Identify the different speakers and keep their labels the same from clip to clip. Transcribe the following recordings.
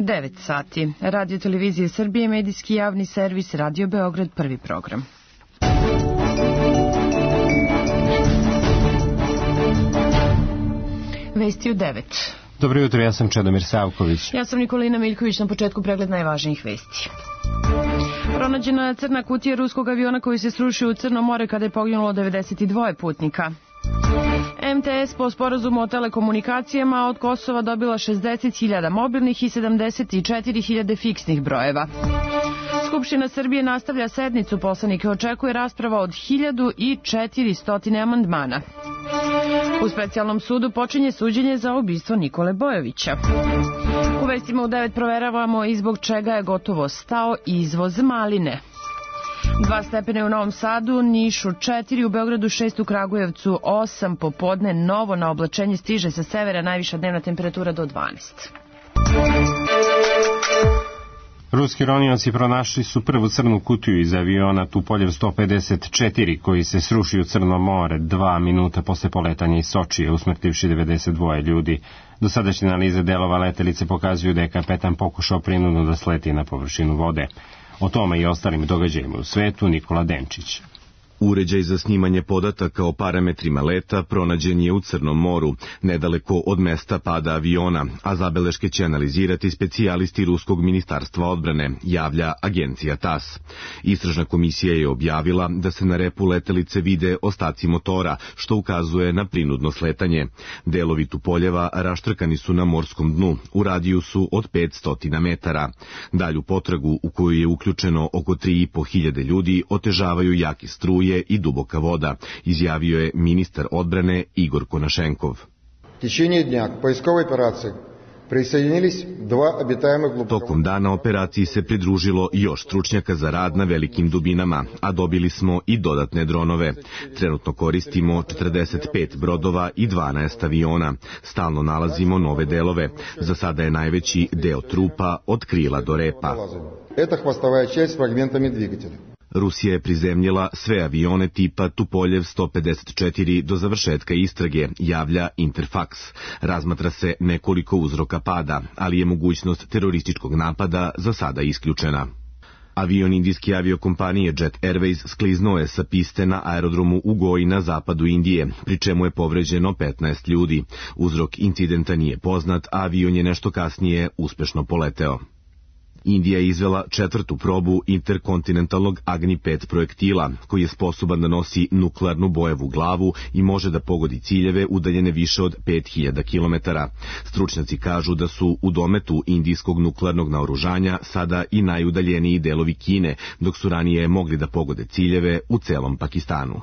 Speaker 1: 9 sati. Radio Televizije Srbije, medijski javni servis, Radio Beograd, prvi program. Vesti u 9.
Speaker 2: Dobro jutro, ja sam Čedomir Savković.
Speaker 1: Ja sam Nikolina Miljković, na početku pregled najvažnijih vesti. Pronađena je crna kutija ruskog aviona koji se srušio u Crno more kada je poginulo 92 putnika. MTS po sporazumu o telekomunikacijama od Kosova dobila 60.000 mobilnih i 74.000 fiksnih brojeva. Skupština Srbije nastavlja sednicu, poslanike očekuje rasprava od 1400 amandmana. U specijalnom sudu počinje suđenje za ubistvo Nikole Bojovića. U vestima u 9 proveravamo i zbog čega je gotovo stao izvoz maline. 2 stepene u Novom Sadu, Nišu 4, u Beogradu 6, u Kragujevcu 8, popodne novo na oblačenje stiže sa severa, najviša dnevna temperatura do 12.
Speaker 2: Ruski ronioci pronašli su prvu crnu kutiju iz aviona Tupoljev 154 koji se srušio u Crno more 2 minuta posle poletanja iz Sočije, usmrtivši 92 ljudi. Dosadašnje analize delova letelice pokazuju da je kapetan pokušao prinudno da sleti na površinu vode. O tome i ostalim događajima u svetu Nikola Denčić.
Speaker 3: Uređaj za snimanje podataka o parametrima leta pronađen je u Crnom moru, nedaleko od mesta pada aviona, a zabeleške će analizirati specijalisti Ruskog ministarstva odbrane, javlja agencija TASS. Istražna komisija je objavila da se na repu letelice vide ostaci motora, što ukazuje na prinudno sletanje. Delovi Tupoljeva raštrkani su na morskom dnu, u radijusu od 500 metara. Dalju potragu, u koju je uključeno oko 3.500 ljudi, otežavaju jaki struje i duboka voda, izjavio je ministar odbrane Igor Konašenkov. Tokom dana operaciji se pridružilo još stručnjaka za rad na velikim dubinama, a dobili smo i dodatne dronove. Trenutno koristimo 45 brodova i 12 aviona. Stalno nalazimo nove delove. Za sada je najveći deo trupa od krila do repa. Rusija je prizemljila sve avione tipa Tupoljev 154 do završetka istrage, javlja Interfax. Razmatra se nekoliko uzroka pada, ali je mogućnost terorističkog napada za sada isključena. Avion indijske aviokompanije Jet Airways skliznuo je sa piste na aerodromu u Goji na zapadu Indije, pri čemu je povređeno 15 ljudi. Uzrok incidenta nije poznat, a avion je nešto kasnije uspešno poleteo. Indija je izvela 4. probu interkontinentalnog Agni-5 projektila, koji je sposoban da nosi nuklearnu bojevu glavu i može da pogodi ciljeve udaljene više od 5000 km. Stručnjaci kažu da su u dometu indijskog nuklearnog naoružanja sada i najudaljeniji delovi Kine, dok su ranije mogli da pogode ciljeve u celom Pakistanu.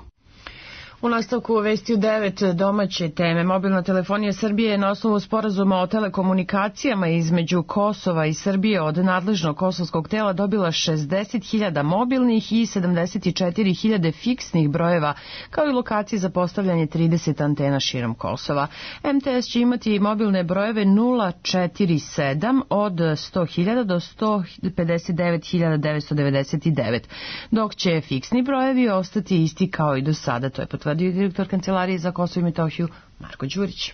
Speaker 1: U nastavku vesti u 9 domaće teme. Mobilna telefonija Srbije je na osnovu sporazuma o telekomunikacijama između Kosova i Srbije od nadležnog kosovskog tela dobila 60.000 mobilnih i 74.000 fiksnih brojeva, kao i lokacije za postavljanje 30 antena širom Kosova. MTS će imati mobilne brojeve 047 od 100.000 do 159.999, dok će fiksni brojevi ostati isti kao i do sada, to je potvrdio direktor Kancelarije za Kosovo i Metohiju Marko Đurić.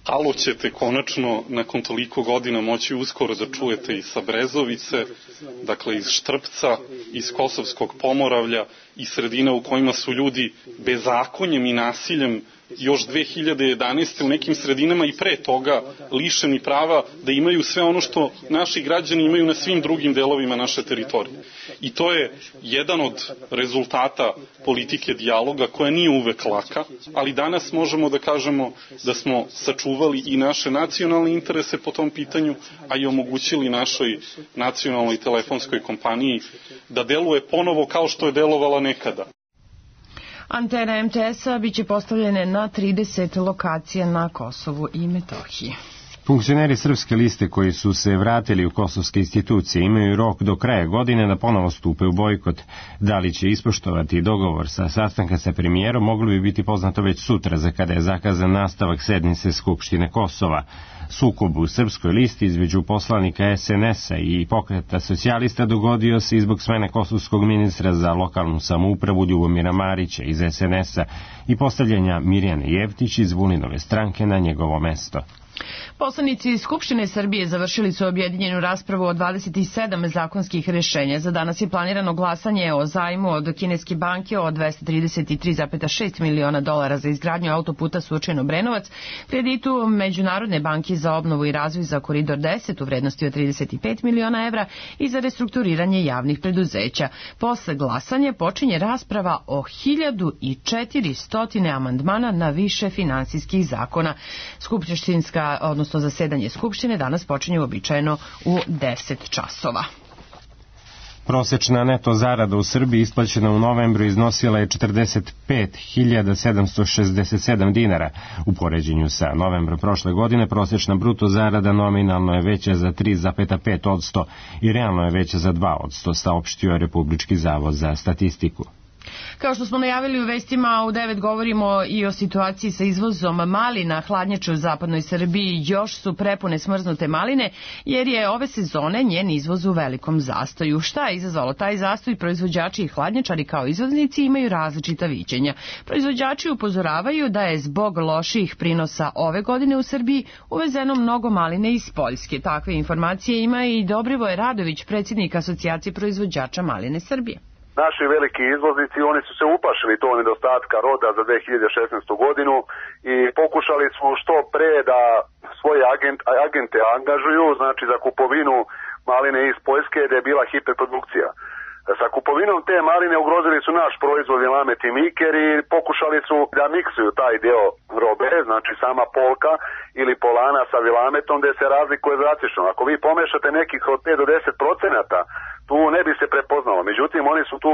Speaker 4: Halo ćete konačno nakon toliko godina moći uskoro da čujete i sa Brezovice, dakle iz Štrpca, iz Kosovskog Pomoravlja i sredina u kojima su ljudi bezakonjem i nasiljem još 2011. u nekim sredinama i pre toga lišeni prava da imaju sve ono što naši građani imaju na svim drugim delovima naše teritorije. I to je jedan od rezultata politike dijaloga koja nije uvek laka, ali danas možemo da kažemo da smo sačuvali i naše nacionalne interese po tom pitanju, a i omogućili našoj nacionalnoj telefonskoj kompaniji da deluje ponovo kao što je delovala nekada.
Speaker 1: Antene MTS-a biće postavljene na 30 lokacija na Kosovu i Metohiji.
Speaker 2: Funkcioneri Srpske liste koji su se vratili u kosovske institucije imaju rok do kraja godine da ponovo stupe u bojkot. Da li će ispoštovati dogovor sa sastanka sa premijerom moglo bi biti poznato već sutra, za kada je zakazan nastavak sednice Skupštine Kosova. Sukob u Srpskoj listi između poslanika SNS-a i Pokreta socijalista dogodio se i zbog smene kosovskog ministra za lokalnu samoupravu Ljubomira Marića iz SNS-a i postavljanja Mirjane Jevtić iz Vulinove stranke na njegovo mesto.
Speaker 1: Poslanici Skupštine Srbije završili su objedinjenu raspravu o 27 zakonskih rješenja. Za danas je planirano glasanje o zajmu od kineske banke od 233,6 miliona dolara za izgradnju autoputa Surčin-Obrenovac, kreditu Međunarodne banke za obnovu i razvoj za Koridor 10 u vrednosti od 35 miliona evra i za restrukturiranje javnih preduzeća. Posle glasanja počinje rasprava o 1400 amandmana na više finansijskih zakona. Skupštinska, odnosno zasedanje Skupštine danas počinje uobičajeno u 10 časova.
Speaker 2: Prosečna neto zarada u Srbiji isplaćena u novembru iznosila je 45.767 dinara. U poređenju sa novembrom prošle godine prosečna bruto zarada nominalno je veća za 3,5% i realno je veća za 2%, saopštio Republički zavod za statistiku.
Speaker 1: Kao što smo najavili u vestima, u 9 govorimo i o situaciji sa izvozom malina. Hladnjače u zapadnoj Srbiji još su prepune smrznute maline, jer je ove sezone njen izvoz u velikom zastoju. Šta je izazvalo taj zastoj? Proizvođači i hladnjačari kao izvoznici imaju različita viđenja. Proizvođači upozoravaju da je zbog loših prinosa ove godine u Srbiji uvezeno mnogo maline iz Poljske. Takve informacije ima i Dobrivoje Radović, predsjednik Asocijacije proizvođača maline Srbije.
Speaker 5: Naši veliki izvoznici, oni su se uplašili tog nedostatka roda za 2016. godinu i pokušali su što pre da svoje agente angažuju, znači za kupovinu maline iz Poljske, da je bila hiperprodukcija. Sa kupovinom te maline ugrozili su naš proizvod Vilamet i Miker i pokušali su da miksuju taj deo robe, znači sama polka ili polana sa Vilametom, gde se razlikuje drastično. Ako vi pomešate nekih od 5 do 10%, tu ne bi se prepoznalo. Međutim, oni su tu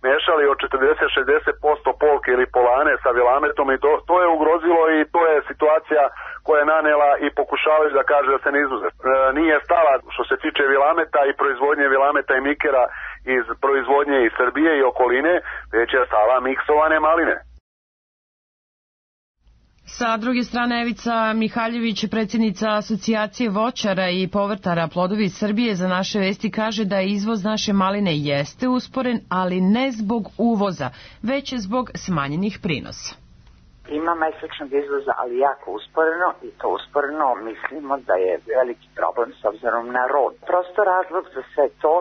Speaker 5: mešali od 40-60% polke ili polane sa Vilametom i to je ugrozilo i to je situacija koja je nanela i pokušavaju da kaže da se ne izvoze. Nije stala što se tiče Vilameta i proizvodnje Vilameta i Mikera iz proizvodnje iz Srbije i okoline, već je stala miksovane maline.
Speaker 1: Sa druge strane, Evica Mihaljević, predsjednica Asocijacije voćara i povrtara Plodovi Srbije, za naše vesti kaže da izvoz naše maline jeste usporen, ali ne zbog uvoza, već zbog smanjenih prinosa.
Speaker 6: Ima mesečnog izvoza, ali jako usporeno i to usporeno mislimo da je veliki problem s obzirom na rod. Prosto razlog za sve to,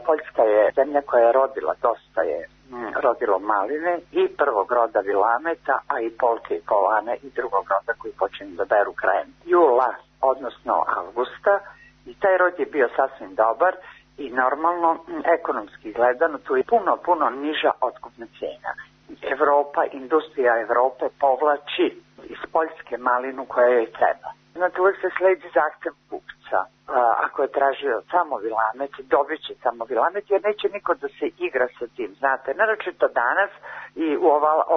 Speaker 6: Poljska je zemlja koja je rodila, dosta je rodilo maline i prvog roda Vilameta, a i polke i polane i drugog roda koji počinju da beru krajem jula, odnosno avgusta, i taj rod je bio sasvim dobar i normalno ekonomski gledano tu je puno niža otkupna cijena. Evropa, industrija Evrope povlači iz Poljske malinu koja joj treba. Znači uvijek se sledi zahtev kupca. Ako je tražio samo Vilamet, dobit će samo Vilamet jer neće niko da se igra sa tim. Znate, naročito danas i u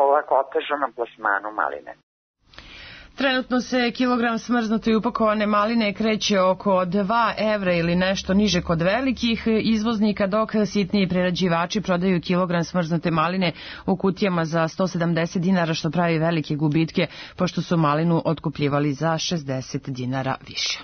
Speaker 6: ovako otežanom plasmanu maline.
Speaker 1: Trenutno se kilogram smrznute i upakovane maline kreće oko 2 evra ili nešto niže kod velikih izvoznika, dok sitniji prerađivači prodaju kilogram smrznute maline u kutijama za 170 dinara, što pravi velike gubitke, pošto su malinu otkupljivali za 60 dinara više.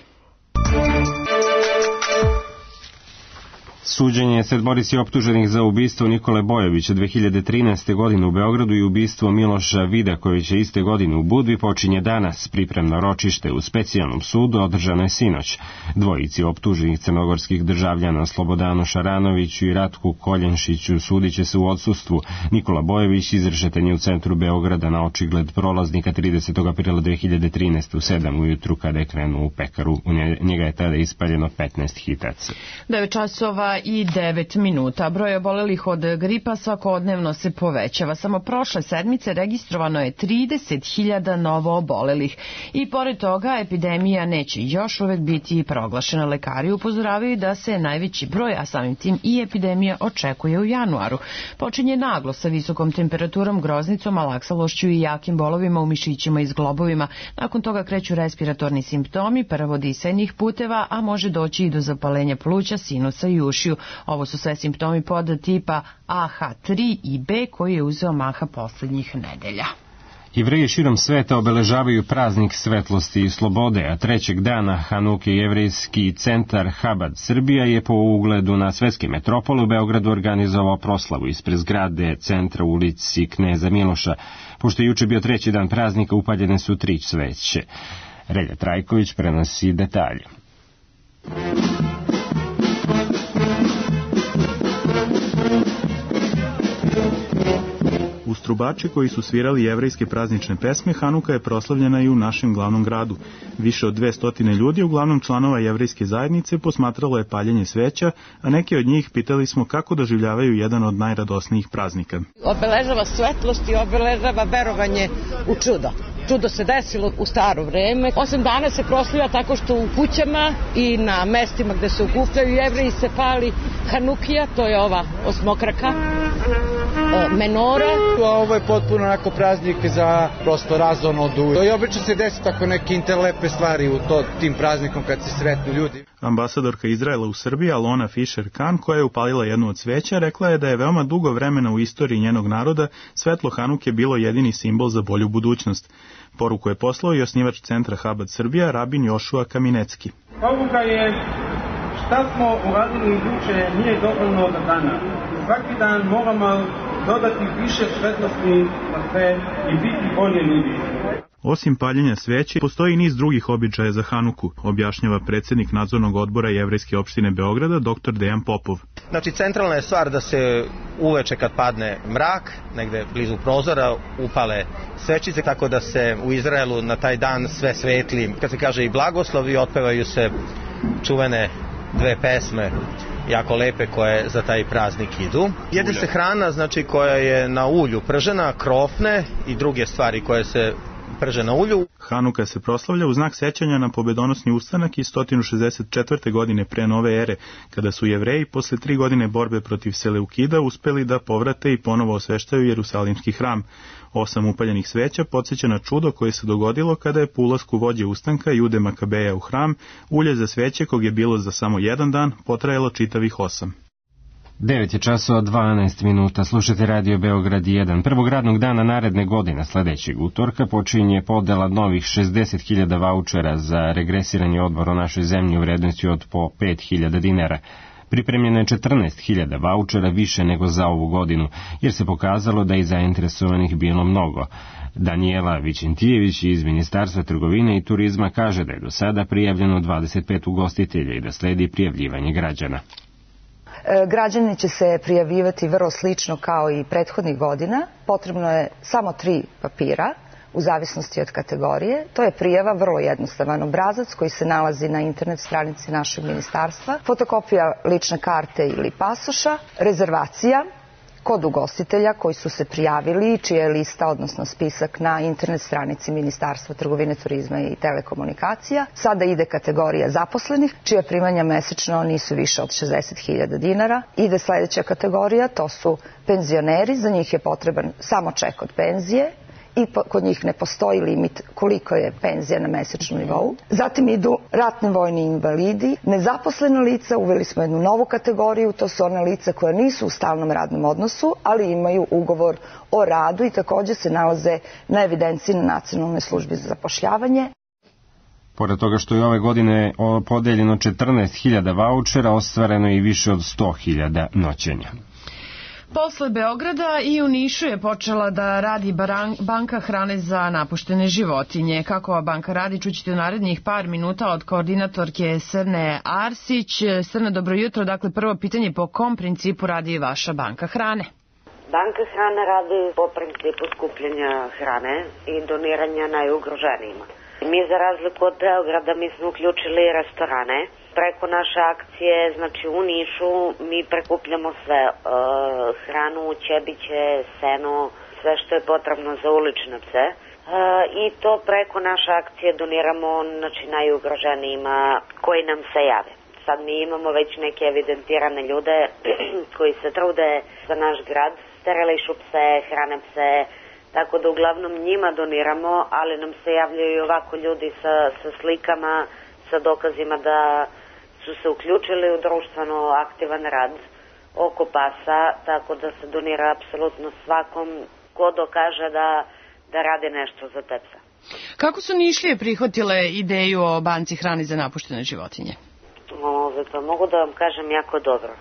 Speaker 2: Suđenje sedmorici optuženih za ubistvo Nikole Bojovića 2013. godine u Beogradu i ubistvo Miloša Vidakovića iste godine u Budvi počinje danas. Pripremno ročište u specijalnom sudu održano je sinoć. Dvojici optuženih crnogorskih državljana Slobodanu Šaranoviću i Ratku Koljenšiću sudiće se u odsustvu. Nikola Bojović izrešetan je u centru Beograda na očigled prolaznika 30. aprila 2013. u 7 ujutru kada je krenuo u pekaru. U njega je tada ispaljeno 15 hitaca.
Speaker 1: 9 časova i 9 minuta. Broj obolelih od gripa svakodnevno se povećava. Samo prošle sedmice registrovano je 30.000 novo obolelih. I pored toga epidemija neće još uvek biti proglašena. Lekari upozoravaju da se najveći broj, a samim tim i epidemija, očekuje u januaru. Počinje naglo sa visokom temperaturom, groznicom, alaksalošću i jakim bolovima u mišićima i zglobovima. Nakon toga kreću respiratorni simptomi, prvo disajnih puteva, a može doći i do zapalenja pluća, sinusa i ušiju. Ovo su sve simptomi pod tipa AH3 i B koji je uzeo maha poslednjih nedelja.
Speaker 2: Jevreji širom sveta obeležavaju praznik svetlosti i slobode, a trećeg dana Hanuke jevrejski centar Habad Srbija je po ugledu na svetske metropole u Beogradu organizovao proslavu ispred zgrade centra u ulici Kneza Miloša. Pošto je juče bio treći dan praznika, upaljene su 3 sveće. Relja Trajković prenosi detalje.
Speaker 7: Uz trubače koji su svirali jevrejske praznične pesme, Hanuka je proslavljena i u našem glavnom gradu. Više od 200 ljudi, uglavnom članova jevrejske zajednice, posmatralo je paljenje sveća, a neke od njih pitali smo kako doživljavaju jedan od najradosnijih praznika.
Speaker 8: Obeležava svetlost i obeležava verovanje u čudo. Čudo se desilo u staro vreme. 8 dana se proslavlja tako što u kućama i na mestima gde se okupljaju Jevreji se pali Hanukija, to je ova osmokraka, menora.
Speaker 9: Ovo je potpuno onako praznik za prosto razonodu. I obično se desi tako neke interlepe stvari u tim praznikom kad se sretnu ljudi.
Speaker 7: Ambasadorka Izraela u Srbiji, Alona Fischer-Kan, koja je upalila jednu od sveća, rekla je da je veoma dugo vremena u istoriji njenog naroda svetlo Hanuke bilo jedini simbol za bolju budućnost. Poruku je poslao i osnivač centra Habad Srbija, rabin Jošua Kaminecki.
Speaker 10: Poruka je šta smo uradili juče nije dovoljno od dana. Svaki dan moramo dodati više svetlosti na sve i biti bolje ljudi.
Speaker 7: Osim paljenja sveće, postoji niz drugih običaja za Hanuku, objašnjava predsjednik nadzornog odbora Jevrejske opštine Beograda, dr. Dejan Popov.
Speaker 11: Znači, centralna je stvar da se uveče kad padne mrak, negde blizu prozora, upale svećice, tako da se u Izraelu na taj dan sve svetli. Kad se kaže i blagoslovi, otpevaju se čuvene 2 pesme jako lepe koje za taj praznik idu. Jede se hrana, znači, koja je na ulju pržena, krofne i druge stvari koje se prže na ulju.
Speaker 7: Hanuka se proslavlja u znak sećanja na pobedonosni ustanak iz 164. godine pre nove ere, kada su Jevreji posle 3 godine borbe protiv Seleukida uspeli da povrate i ponovo osveštaju Jerusalimski hram. 8 upaljenih sveća podsjeća na čudo koje se dogodilo kada je po ulasku vođe ustanka Jude Makabeja u hram ulje za sveće, kog je bilo za samo 1 dan, potrajalo čitavih 8.
Speaker 2: 9 je časova 12 minuta. Slušate Radio Beograd 1. Prvog radnog dana naredne godine, sledećeg utorka, počinje podela novih 60.000 vaučera za regresirani odmor u našoj zemlji u vrednosti od po 5.000 dinara. Pripremljeno je 14.000 vaučera više nego za ovu godinu, jer se pokazalo da je zainteresovanih bilo mnogo. Danijela Vičentijević iz Ministarstva trgovine i turizma kaže da je do sada prijavljeno 25 ugostitelja i da sledi prijavljivanje građana.
Speaker 12: Građani će se prijavljivati vrlo slično kao i prethodnih godina. Potrebno je samo 3 papira u zavisnosti od kategorije. To je prijava, vrlo jednostavan obrazac koji se nalazi na internet stranici našeg ministarstva, fotokopija lične karte ili pasoša, rezervacija kod ugostitelja koji su se prijavili, čija je lista, odnosno spisak na internet stranici Ministarstva trgovine, turizma i telekomunikacija. Sada ide kategorija zaposlenih, čija primanja mesečno nisu više od 60.000 dinara. Ide sledeća kategorija, to su penzioneri, za njih je potreban samo ček od penzije i kod njih ne postoji limit koliko je penzija na mesečnom nivou. Zatim idu ratni vojni invalidi, nezaposlena lica, uveli smo jednu novu kategoriju, to su ona lica koja nisu u stalnom radnom odnosu, ali imaju ugovor o radu i takođe se nalaze na evidenciji na Nacionalnoj službi za zapošljavanje.
Speaker 2: Pored toga što je ove godine podeljeno 14.000 vaučera, ostvareno je i više od 100.000 noćenja.
Speaker 1: Posle Beograda i u Nišu je počela da radi banka hrane za napuštene životinje. Kako ova banka radi, čućete u narednih par minuta od koordinatorke Srne Arsić. Srne, dobro jutro. Dakle, prvo pitanje, po kom principu radi vaša banka hrane?
Speaker 13: Banka hrane radi po principu skupljanja hrane i doniranja najugroženijima. Mi, za razliku od Beograda, mi smo uključili restorane. Preko naše akcije, znači u Nišu, mi prekupljamo sve, hranu, ćebiće, seno, sve što je potrebno za ulične pse. I to preko naše akcije doniramo, znači, najugroženijima koji nam se jave. Sad mi imamo već neke evidentirane ljude koji se trude za naš grad, sterilišu pse, hrane pse, tako da uglavnom njima doniramo, ali nam se javljaju ovako ljudi sa slikama, sa dokazima da su se uključili u društveno aktivan rad oko pasa, tako da se donira apsolutno svakom ko dokaže da radi nešto za te psa.
Speaker 1: Kako su Nišlije prihvatile ideju o banci hrane za napuštene životinje?
Speaker 13: Pa mogu da vam kažem jako dobro.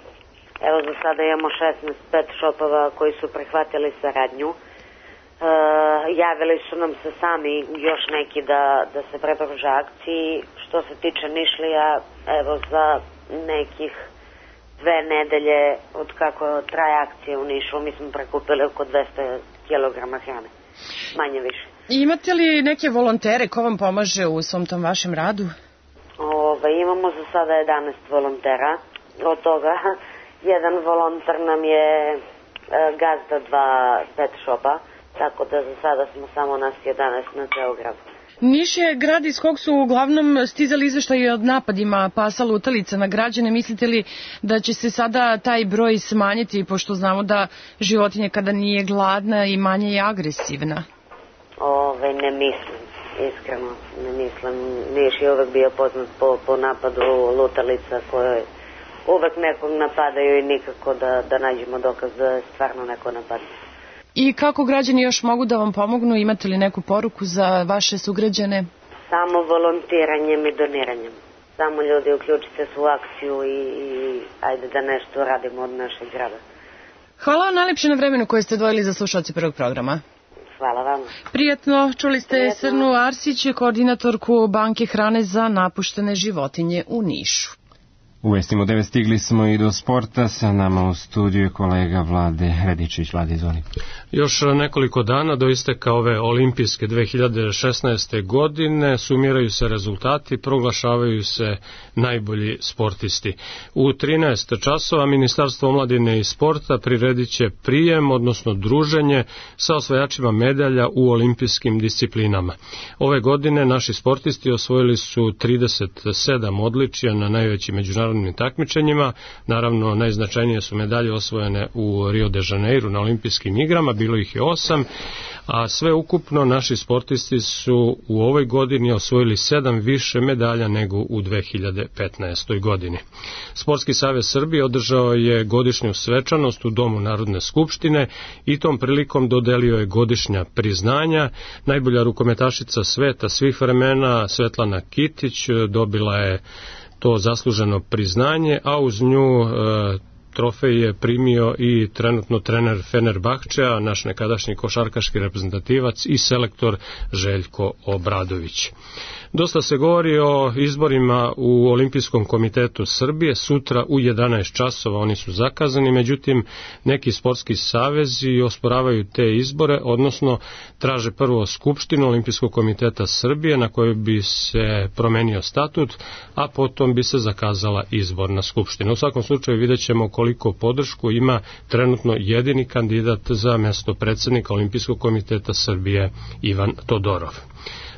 Speaker 13: Evo, za sada imamo 16 pet shopova koji su prihvatili saradnju. Javili su nam se sami još neki da se pridruže akciji. Što se tiče Nišlija, evo za nekih 2 nedelje od kako traje akcija u Nišu, mi smo prekupili oko 200 kg hrane, manje više.
Speaker 1: Imate li neke volontere ko vam pomaže u svom tom vašem radu?
Speaker 13: Imamo za sada 11 volontera, od toga jedan volonter nam je gazda 2 pet shopa, tako da za sada smo samo nas 11 na ceo grad.
Speaker 1: Niš je grad iz kog su uglavnom stizali izveštaji od napadima pasa lutalica na građane. Mislite li da će se sada taj broj smanjiti, pošto znamo da životinja kada nije gladna i manje je agresivna?
Speaker 13: Ne mislim, iskreno ne mislim. Niš je uvek bio poznat po napadu lutalica koje uvek nekog napadaju i nikako da nađemo dokaz da je stvarno neko napadne.
Speaker 1: I kako građani još mogu da vam pomognu? Imate li neku poruku za vaše sugrađane?
Speaker 13: Samo volontiranjem i doniranjem. Samo ljudi uključite se u akciju i ajde da nešto radimo od našeg grada.
Speaker 1: Hvala vam najlepše na vremenu koje ste odvojili za slušalce prvog programa.
Speaker 13: Hvala vam.
Speaker 1: Prijatno, čuli ste Srnu Arsić, koordinatorku Banke hrane za napuštene životinje u Nišu.
Speaker 2: U vestima 9 stigli smo i do sporta, sa nama u studiju kolega Vlade Radičević. Vlade, izvoli.
Speaker 14: Još nekoliko dana do isteka ove olimpijske 2016. godine sumiraju se rezultati, proglašavaju se najbolji sportisti. U 13 časova Ministarstvo omladine i sporta priredit će prijem, odnosno druženje sa osvajačima medalja u olimpijskim disciplinama. Ove godine naši sportisti osvojili su 37 odličija na najvećim međunarodnim takmičenjima. Naravno, najznačajnije su medalje osvojene u Rio de Janeiro na olimpijskim igrama, bilo ih je 8, a sve ukupno naši sportisti su u ovoj godini osvojili 7 više medalja nego u 2015. godini. Sportski savez Srbije održao je godišnju svečanost u Domu Narodne skupštine i tom prilikom dodelio je godišnja priznanja. Najbolja rukometašica sveta svih vremena, Svetlana Kitić, dobila je to zasluženo priznanje, a uz nju trofej je primio i trenutno trener Fenerbahčea, naš nekadašnji košarkaški reprezentativac i selektor Željko Obradović. Dosta se govori o izborima u Olimpijskom komitetu Srbije. Sutra u 11 časova oni su zakazani, međutim neki sportski savezi osporavaju te izbore, odnosno traže prvo skupštinu Olimpijskog komiteta Srbije na kojoj bi se promenio statut, a potom bi se zakazala izborna skupština. U svakom slučaju vidjet ćemo koliko podršku ima trenutno jedini kandidat za mesto predsjednika Olimpijskog komiteta Srbije, Ivan Todorov.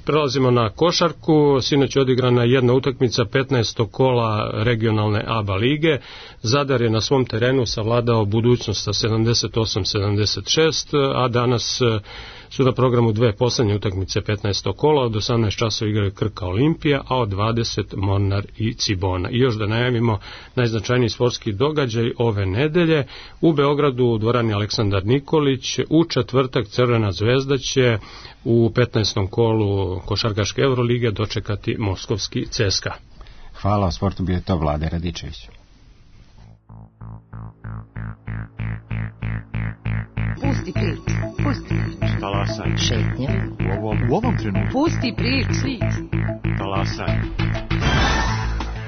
Speaker 14: Prelazimo na košarku. Sinoć je odigrana jedna utakmica 15. kola regionalne ABA lige. Zadar je na svom terenu savladao Budućnost sa 78-76, a danas su na programu dve poslednje utakmice 15. kola. Od 18 časova igraju Krka Olimpija, a od 20 Mornar i Cibona. I još da najavimo najznačajniji sportski događaj ove nedelje. U Beogradu u dvorani Aleksandar Nikolić u četvrtak Crvena zvezda će u 15. kolu košarkaške Evrolige dočekati moskovski CSKA.
Speaker 2: Hvala, o sportu bio to Vlade Radičević.
Speaker 15: Pusti prič, pusti prič.
Speaker 16: Talasaj.
Speaker 15: Šetnja.
Speaker 16: U ovom trenutku.
Speaker 15: Pusti prič.
Speaker 16: Talasaj.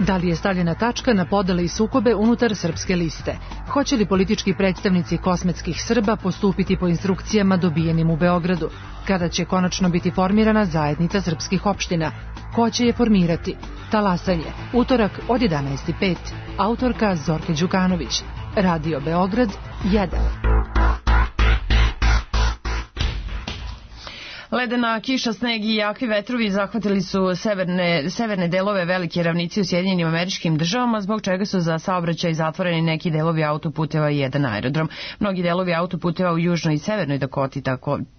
Speaker 15: Da li je stavljena tačka na podele i sukobe unutar srpske liste? Hoće li politički predstavnici kosmetskih Srba postupiti po instrukcijama dobijenim u Beogradu? Kada će konačno biti formirana zajednica srpskih opština? Ko će je formirati? Talasanje. Utorak od 11:05. Autorka Zorka Đukanović. Radio Beograd 1.
Speaker 1: Ledena kiša, sneg i jaki vetrovi zahvatili su severne delove velike ravnice u Sjedinjenim Američkim Državama, zbog čega su za saobraćaj zatvoreni neki delovi autoputeva i jedan aerodrom. Mnogi delovi autoputeva u Južnoj i Severnoj Dakoti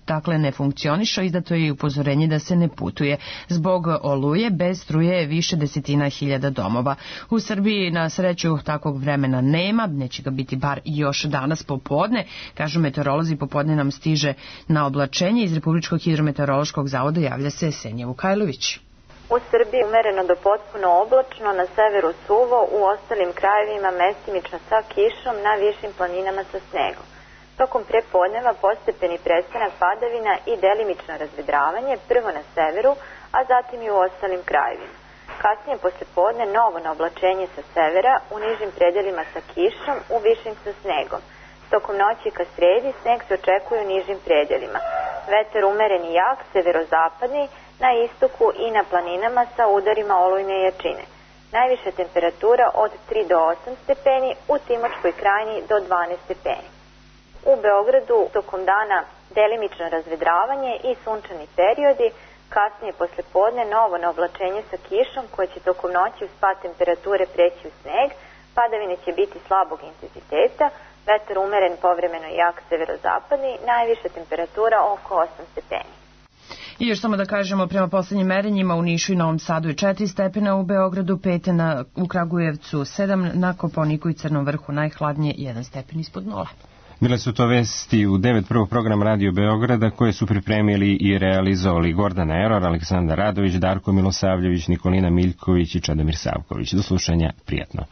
Speaker 1: dakle ne funkcionišu, izdato je i upozorenje da se ne putuje. Zbog oluje bez struje je više desetina hiljada domova. U Srbiji na sreću takvog vremena nema, neće ga biti bar još danas popodne. Kažu meteorolozi, popodne nam stiže na oblačenje. Iz Republičkog hidrometeorološkog zavoda javlja se Senja Vukajlović.
Speaker 17: U Srbiji umereno do potpuno oblačno, na severu suvo, u ostalim krajevima mestimično sa kišom, na višim planinama sa snegom. Tokom prepodneva postepeni prestanak padavina i delimično razvedravanje, prvo na severu, a zatim i u ostalim krajevima. Kasnije poslepodne novo naoblačenje sa severa, u nižim predelima sa kišom, u višim sa snegom. Tokom noći ka sredi sneg se očekuje u nižim predelima. Vetar umeren i jak, severozapadni, na istoku i na planinama sa udarima olujne jačine. Najviša temperatura od 3 do 8 stepeni, u Timočkoj krajini do 12 stepeni. U Beogradu tokom dana delimično razvedravanje i sunčani periodi, kasnije poslepodne novo naoblačenje sa kišom koje će tokom noći uz pad temperature preći u sneg, padavine će biti slabog intenziteta, vetar umeren povremeno jak severozapadni, najviša temperatura oko 8 stepeni.
Speaker 1: I još samo da kažemo, prema poslednjim merenjima u Nišu i Novom Sadu je 4 stepena, u Beogradu 5, u Kragujevcu 7, na Kopaoniku i Crnom Vrhu najhladnije 1 stepen ispod 0.
Speaker 2: Bile su to vesti u 9 prvog program Radio Beograda koje su pripremili i realizovali Gordana Eror, Aleksandar Radović, Darko Milosavljević, Nikolina Miljković i Čedomir Savković. Do slušanja, prijatno.